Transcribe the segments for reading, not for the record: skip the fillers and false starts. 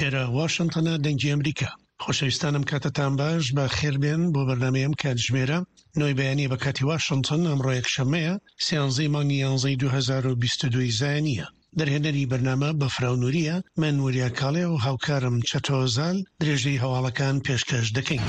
ئێرە واشنتنە دەنگی ئەمریکا. خۆشەویستانم کاتتان باش بە خێربێن بۆ بەرنامەی ئەم کاتژمێرە نۆی بەیانی بە کاتی واشنتن ئەمڕۆ یەکشەممەیە سیانزەی مانگی یانزەی 2022 زایانیە. دەرهێنەری بەرنامە بەفراو نوریە، من وریا کاڵێ و هاوکارم چەتۆ زال درێژەی هەواڵەکان پێشکەش دەکەین.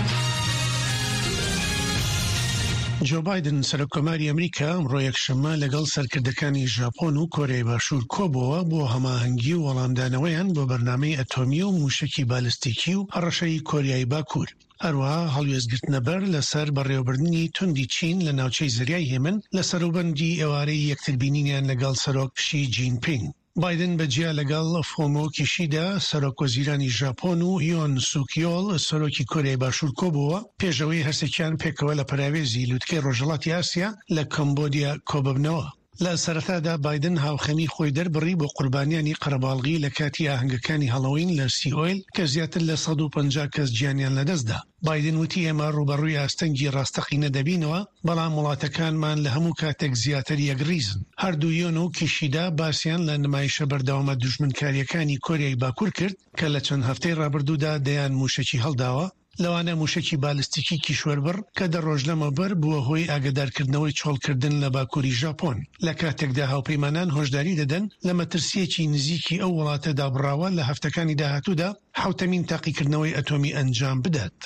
جۆ بایدن سەرۆککۆماری ئەمریکا ئەمڕۆ یەکشەممە لەگەڵ سەرکردەکانی ژاپۆن و کۆریای باشوور کۆبووەوە بۆ هەماهەنگی و وەڵامدانەوەیان بۆ بەرنامەی ئەتۆمی و مووشەکی بالستیکی و هەڕەشەی کۆریای باکوور. هەروەها هەڵوێستگرتنەبەر لەسەر بەڕێوەبردنی توندی چین لە ناوچەی زەریای هێمن لە سەروبەندی ئێوارەی یەکتربینینیان لەگەڵ سەرۆک شی جین پینگ. بایدن بە جیا لەگەڵ فۆمۆ کیشیدا، سەرۆک وەزیرانی ژاپۆن و یۆن سوک یۆل، سەرۆکی کۆریای باشوور کۆبووەوە، پێش ئەوەی هەرسێکیان پێکەوە لە پەراوێزی لوتکەی ڕۆژهەڵاتی ئاسیا لە کەمبۆدیا کۆببنەوە. لە سەرەتادا بایدن هاوخەمی خۆی دەربڕی بۆ قوربانیانی قەرەباڵغی لە کاتی ئاهەنگەکانی هەڵۆوین لە سیئۆل کە زیاتر لە 150 کەس گیانیان لەدەستدا. بایدن وتی ئێمە ڕووبەڕووی ئاستەنگی ڕاستەقینە دەبینەوە، بەڵام وڵاتەکانمان لە هەموو کاتێک زیاتر یەکڕیزن. هەردوو یۆن و کیشیدا باسیان لە نمایشە بەردەوامە دوژمنکارییەکانی کۆریای باکوور کرد کە لە چەند هەفتەی ڕابردوودا دەیان مووشەکی هەڵداوە، لەوانە مووشەکی بالستیکی کیشوەربڕ کە دە ڕۆژ لەمەوبەر بووە هۆی ئاگادارکردنەوەی چۆڵکردن لە باکووری ژاپۆن، لە کاتێکدا هاوپەیمانان هۆشداری دەدەن لە مەترسییەکی نزیکی ئەو وڵاتە دابڕاوە لە هەفتەکانی داهاتوودا حەوتەمین تاقیکردنەوەی ئەتۆمی ئەنجام بدات.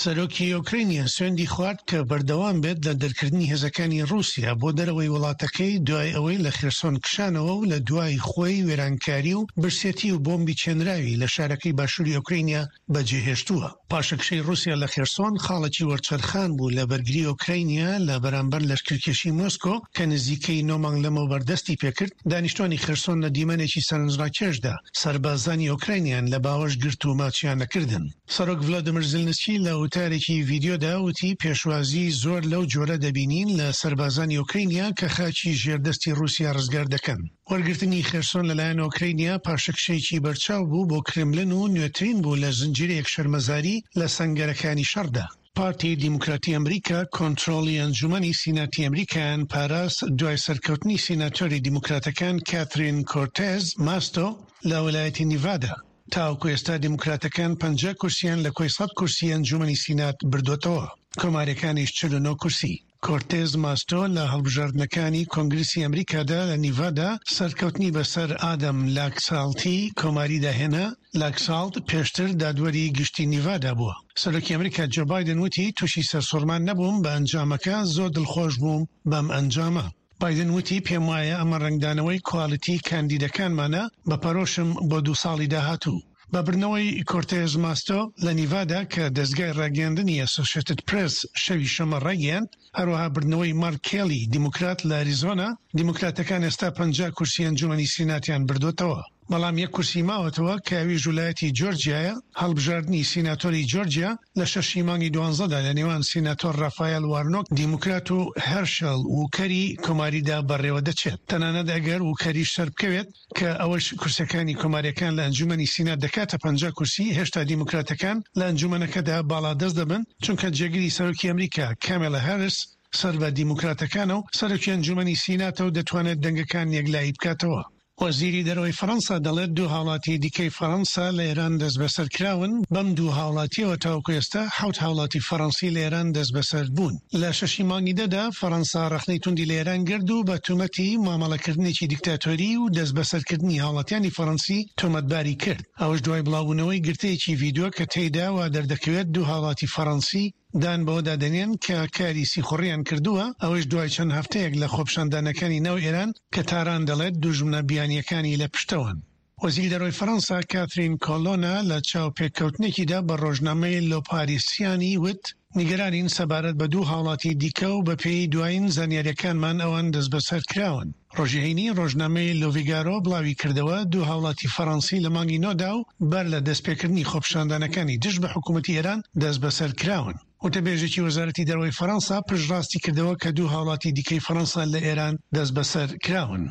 سەرۆکی ئۆکرەینیا سوێندی خوارد کە بەردەوام بێت لە دەرکردنی هێزەکانی ڕووسیا بۆ دەرەوەی وڵاتەکەی دوای ئەوەی لە خێرسۆن کشانەوە و لە دوای خۆی وێرانکاری و برسێتی و بۆمبی چێنراوی لە شارەکەی باشووری ئۆکرەینیا بەجێهێشتووە. پاشەکشەی ڕووسیا لە خێرسۆن خاڵێکی وەرچەرخان بوو لە بەرگری ئۆکرەینیا لە بەرامبەر لەشکرکێشی مۆسکۆ کە نزیکەی نۆ مانگ لەمەوبەر دەستی پێکرد، دانیشتوانی خێرسۆن لە دیمەنێکی سەرنجڕاکێشدا سەربازانی ئۆکراینیان لە باوەش گرت و ماچیان نەکردن. سەرۆک ڤلادیمیر زیلنسکی لە وتارێکی ڤیدیۆدا وتی پێشوازی زۆر لەو جۆرە دەبینین لە سەربازانی ئۆکرەینیا کە خاکی ژێر دەستی ڕووسیا ڕزگار دەکەن. وەرگرتنی خێرسۆن لەلایەن ئۆکرەینیا پاشەکشەیەکی بەرچاو بوو بۆ کرملن و نوێترین بوو لە زنجیرەیەک شەرمەزاری لە سەنگەرەکانی شەڕدا. پارتی دیموکراتی ئەمریکا کۆنترۆڵی ئەنجومەنی سیناتی ئەمریکایان پاراست دوای سەرکەوتنی سیناتۆری دیموکراتەکان کاترین کۆرتێز ماستۆ لە ویلایەتی نیڤادا. تاوەکو ئێستا دیموکراتەکان 50 کورسیان لە کۆی 100 کورسی ئەنجومەنی سینات بردۆتەوە، کۆماریەکانیش 49 کورسی. کۆرتێز ماستۆ لە هەڵبژاردنەکانی کۆنگرسی ئەمریکادا لە نیڤادا سەرکەوتنی بەسەر ئادەم لاکساڵتی کۆماریدا هێنا، لاکساڵت پێشتر دادوەری گشتی نیڤادا بووە. سەرۆکی ئەمریکا جۆ بایدن وتی تووشی سەرسوڕمان نەبووم بە ئەنجامەکە، زۆر دڵخۆش بووم بەم ئەنجامە. بایدن وتی پێموایە ئەمە ڕەنگدانەوەی کوالیتی کاندیدەکانمانە، بە پەرۆشم بۆ دوو ساڵی داهاتوو. بە بردنەوەی کۆرتێز ماستۆ لە نیڤادا کە دەزگای ڕاگەیاندنی ئەسۆشێتد پرێس شەوی شەممە ڕایگەیاند، هەروەها بردنەوەی مارک کێلی دیموکرات لە ئەریزۆنا، دیموکراتەکان ئێستا 50 کورسی ئەنجومەنی سیناتیان بردۆتەوە. بەڵام یەک کورسی ماوەتەوە کە ئەویش ولایەتی جۆرجیایە، هەڵبژاردنی سیناتۆری جۆرجیا لە شەشی مانگی دوانزەدا لە نێوان سیناتۆر ڕافایەل وارنۆک دیموکرات و هێرشێل ووکەری کۆماریدا بەڕێوەدەچێت، تەنانەت ئەگەر ووکەریش سەربکەوێت، کە ئەوەش کورسیەکانی کۆماریەکان لە ئەنجومەنی سینات دەکاتە 50 کورسی، هێشتا دیموکراتەکان لە ئەنجومەنەکەدا باڵادەست دەبن، چونکە جێگری سەرۆکی ئەمریکا کامێلا هاریس سەر بە دیموکراتەکانە و سەرۆکی ئەنجومەنی سیناتە و دەتوانێت دەنگەکان یەکلایی بکاتەوە. وەزیری دەرەوەی فەرەنسا دەڵێت دوو هاوڵاتی دیکەی فەرەنسا لە ئێران دەستبەسەر کراون، بەم دوو هاوڵاتیەوە تاوەکو ئێستا حەوت هاوڵاتی فەرەنسی لە ئێران دەستبەسەر بوون. لە شەشی مانگی دە دا فەرەنسا ڕەخنەی توندی لە ئێران گرت و بە تومەتی مامەڵەکردنێکی دیکتاتۆری و دەستبەسەرکردنی هاوڵاتیانی فەرەنسی تۆمەتباری کرد، ئەوەش دوای بڵاوبوونەوەی گرتەیەکی ڤیدیۆ کە تێیدا وا دەردەکەوێت دوو هاوڵاتی فەرەنسی دان بەوەدا دەنێن کە کاری سیخوڕیان کردووە، ئەوەیش دوای چەند هەفتەیەک لە خۆپیشاندانەکانی ناو ئێران کە تاران دەڵێت دوژمنە بیانییەکانی لە پشتەوەن. وەزیری دەرەوەی فەرەنسا کاترین کۆلۆنا لە چاوپێکەوتنێکیدا بە ڕۆژنامەی لۆ پاریسیانی وت، نیگەرانین سەبارەت بە دوو هاوڵاتی دیکە و بەپێی دوایین زانیارییەکانمان ئەوان دەستبەسەر کراون. ڕۆژی هەینی ڕۆژنامەی لۆڤیگارۆ بڵاوی کردەوە، دوو هاوڵاتی فەرەنسی لە مانگی نۆدا و بەر لە دەستپێکردنی خۆپیشاندانەکانی دژ بە حکوومەتی ئێران دەستبەسەر کراون. وتەبێژێکی وەزارەتی دەرەوەی فەرەنسا پشتڕاستی کردەوە کە دوو هاوڵاتی دیکەی فەرەنسا لە ئێران دەستبەسەر کراون.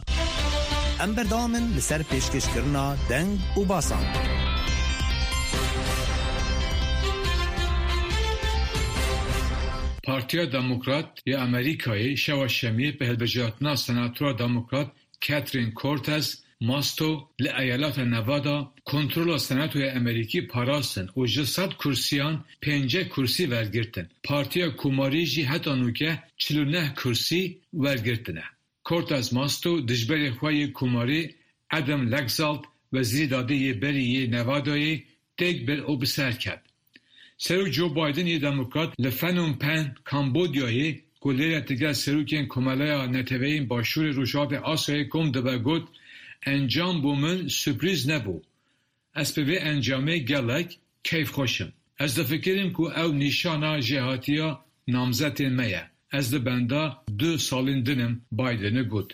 ئەم بەردەوامن لەسەر پێشکەشکردنا دەنگ و باسان. Partiya Demokrat ya Amerîkayê şeva Şemiyê bi hilbijartina Senatora Demokrat Catherine Cortez. Masto li eyaleta Nevada kontrola Senatoya Amerîkî parastin û ji sed kursiyan pênceh kursî wergirtin. Partiya Komarî jî heta nûke 49 kursî wergirtine. Cortez Masto dijberê xwe yê Komarî Adam Laxalt Wezîrê Dadê yê berî yê Nevadayê têk bir û bi ser ket. Serok Joe Biden yê Demokrat li Phnom Penh, Kambodyayê ku lêre digel serokên Komeleya Neteweyên Başûrê Rojhilatê Asyayê kom dibe got, Encam bo min surprîz nebû. Ez bi vê encamê gelek keyfxweş im. Ez difikirim ku ew nîşana jêhatiya namzetên me ye. Ez li benda du salên din im, Bidenê got.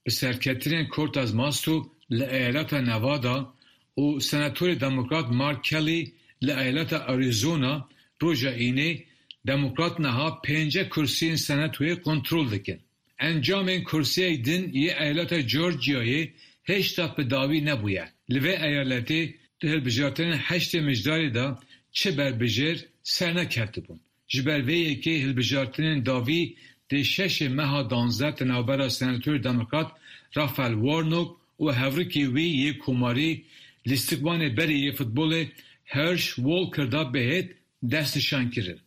Bi serketinên Cortez Masto li eyaleta Nevada û Senatorê Demokrat Mark Kelly li eyaleta Arizona roja Înê, Demokrat niha pênceh kursiyên Senatoyê kontrol dikin. Encamên kursiyek din yê eyaleta Georgiayê hêjta bi dawî nebûye. Li vê eyaletê di hilbijartinên heştê Mijdarê de çi berbijêr serneketibûn. Ji ber vê yekê hilbijartinên dawî dê şeşê meha danzdeh di navbera Senatorê Demokrat Raphael Warnock û hevrikê wî yê Komarî lîstikvanê berê yê futbolê Herschel Walker de bihêt destnîşankirin.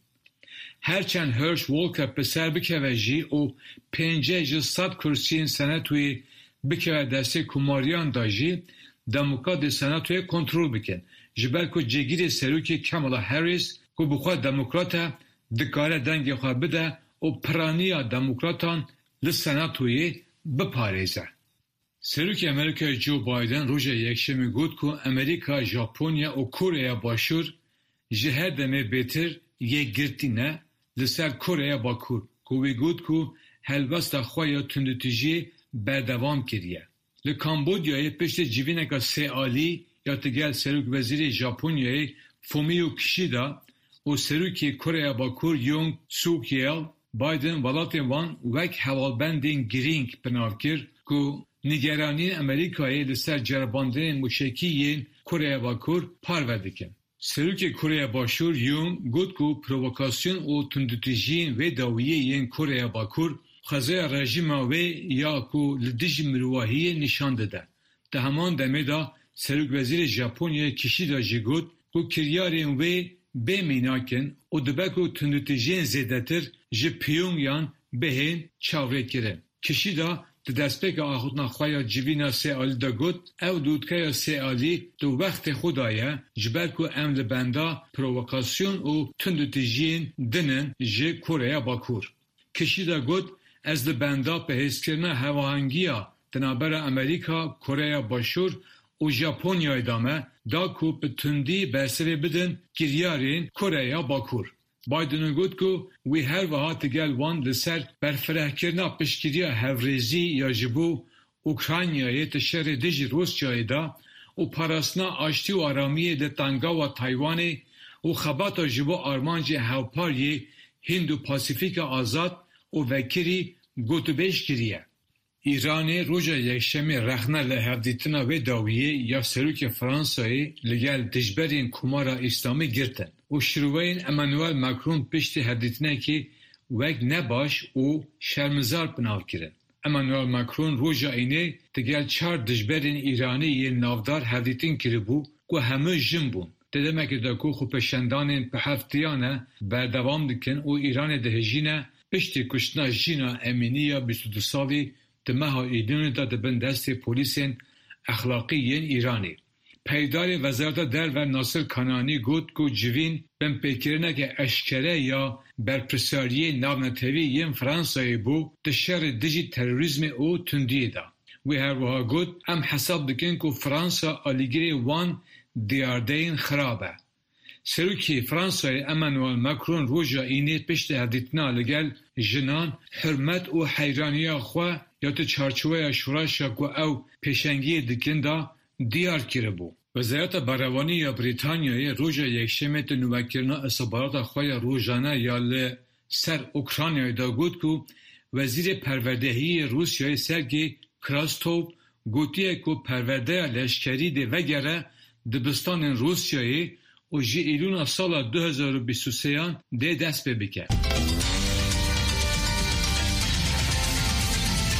Her çend Herschel Walker bi ser bikeve jî û pênceh ji sed kursiyên Senatoyê bikeve destê Komariyan de jî Demokrat dê Senatoyê kontrol bikin. Ji ber ku cêgirê Serokê Kamala Harris ku bi xwe Demokrat e dikare dengê xwe bide û piraniya Demokratan li Senatoyê biparêze. Serokê Amerîkayê Joe Biden roja Yekşemê got ku Amerîka, Japonya û Koreya Başûr ji her demê bêtir yekgirtî ne li ser Koreya Bakur ku wî got ku helwesta xwe ya tundûtûjiyê berdewam kiriye. Li Kambodyayê piştî civîneke sêalî ya digel Serokwezîrê Japonyayê Fumio Kishida û Serokê Koreya Bakur Yoon Suk Yeol, Biden welatên wan wek hevalbendên girîng bi nav kir ku nîgeraniyên Amerîkayê li ser ceribandinên mûşekî yên Koreya Bakur parve dikin. Serokê Koreya Başûr Yoon got ku provokasyon û tundûtûjiyên vê dawiyê yên Koreya Bakur xwezaya rejîma wê ya ku li dijî mirovahiyê nîşan dide. Di heman demê de Serokwezîrê Japonyayê Kishida jî got ku kiryarên wê bê mînak in û dibe ku tundûtûjiyên zêdetir ji Pyongyang bihên çavrêkirin. Kishida di destpêka axivtina xwe ya civîna sêalî de got, Ew lûtkeya sêalî di wextê xwe de ye ji ber ku em li benda provokasyon û tundûtûjiyên din in ji Koreya Bakur. Kishida got, Ez li benda bihêzkirina hevahengiya di navbera Amerîka, Koreya Başûr û Japonyayê de me da ku bi tundî bersivê bidin kiryarên Koreya Bakur. Biden got ku wî her wiha digel wan li ser berfirehkirina piştgiriya hevrêzî ya ji bo Ukraynayê di şerê dijî Rûsyayê de û parastina aştî û aramiyê li Tengawa Taywanê û xebata ji bo armancên hevpar yê Hînd û Pasîfîka azad û vekirî gotûbêj kiriye. Îranê roja Yekşemê rexne li hevdîtina wê dawiyê ya Serokê Fransayê li gel dijberên Komara Îslamî girtin û şiroweyên Emmanuel Macron piştî hevdîtinekê wek nebaş û şermizar bi nav kirin. Emmanuel Macron roja Înê digel çar dijberên Îranî yên navdar hevdîtin kiribû ku hemû jin bûn. Di demekê de ku xwepêşandanên bi hefteyane berdewam dikin û Îranê dihejîne piştî kuştina Jîna Emînî ya 22 salî di meha Îlûnê de di bin destê polîsên exlaqî yên Îranê. Peyvdarê Wezareta Derve Nasir Kananî got ku civîn binpêkirineke eşkere ya berpirsyariyên navnetewî yên Fransayê bû di şerê dijî terorîzmê û tundiyê de. Wî her wiha got, Em hesab dikin ku Fransa alîgirê wan diyardeyên xirab e. Serokê Fransayê Emmanuel Macron roja Înê piştî hevdîtina li gel jinan hurmet û heyraniya xwe ya di çarçoweya şoreşa ku ew pêşengiyê dikin de diyar kiribû. Wezareta Berevanî ya Brîtanyayê roja Yekşemê di nûvekirina îstixbarata xwe ya rojane ya li ser Ukraynayê de got ku Wezîrê Perwerdehiyê Rûsyayê Sergey Krastov gotiye ku perwerdeya leşkerî dê vegere dibistanên Rûsyayê û ji Îlûna sala 2023an dê dest pê bike.